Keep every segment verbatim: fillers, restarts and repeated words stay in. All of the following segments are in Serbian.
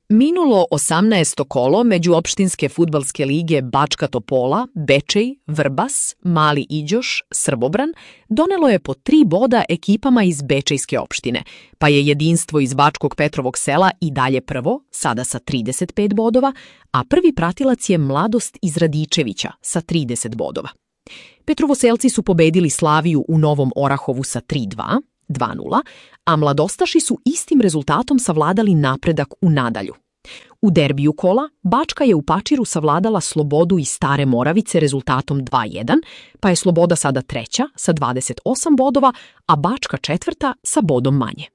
Minulo osamnaesto kolo međuopštinske fudbalske lige Bačka Topola, Bečej, Vrbas, Mali Iđoš, Srbobran donelo je po tri boda ekipama iz Bečejske opštine, pa je Jedinstvo iz Bačkog Petrovog sela i dalje prvo, sada sa trideset pet bodova, a prvi pratilac je Mladost iz Radičevića sa trideset bodova. Petrovoselci su pobedili Slaviju u Novom Orahovu sa tri dva, dva nula, a Mladostaši su istim rezultatom savladali Napredak u Nadalju. U derbiju kola Bačka je u Pačiru savladala Slobodu iz Stare Moravice rezultatom dva jedan, pa je Sloboda sada treća sa dvadeset osam bodova, a Bačka četvrta sa bodom manje.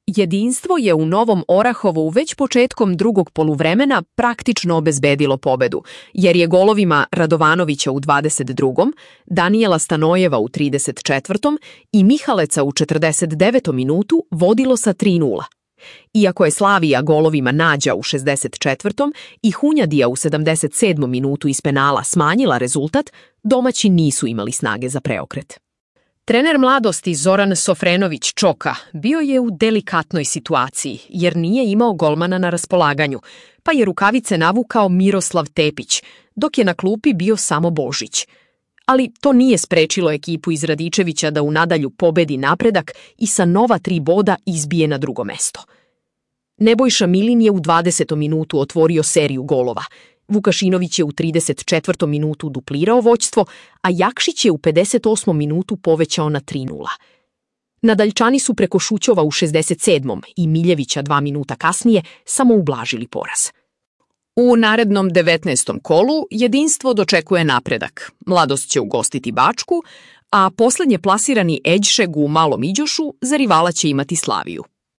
Jedinstvo je u Novom Orahovu već početkom drugog poluvremena praktično obezbedilo pobedu, jer je golovima Radovanovića u dvadeset drugom, Danijela Stanojeva u trideset četvrtom i Mihaleca u četrdeset devetom minutu vodilo sa tri nula. Iako je Slavija golovima Nađa u šezdeset četvrtom i Hunjadija u sedamdeset sedmom minutu iz penala smanjila rezultat, domaći nisu imali snage za preokret. Trener Mladosti Zoran Sofrenović Čoka bio je u delikatnoj situaciji jer nije imao golmana na raspolaganju, pa je rukavice navukao Miroslav Tepić, dok je na klupi bio samo Božić. Ali to nije sprečilo ekipu iz Radičevića da u Nadalju pobedi Napredak i sa nova tri boda izbije na drugo mesto. Nebojša Milin je u dvadesetom minutu otvorio seriju golova. Vukašinović je u trideset četvrtom minutu duplirao vođstvo, a Jakšić je u pedeset osmom minutu povećao na tri nula. Nadaljčani su preko Šućova u šezdeset sedmom i Miljevića dva minuta kasnije samo ublažili poraz. U narednom devetnaestom kolu Jedinstvo dočekuje Napredak. Mladost će ugostiti Bačku, a poslednje plasirani Eđšeg u Malom Iđošu za rivala će imati Slaviju.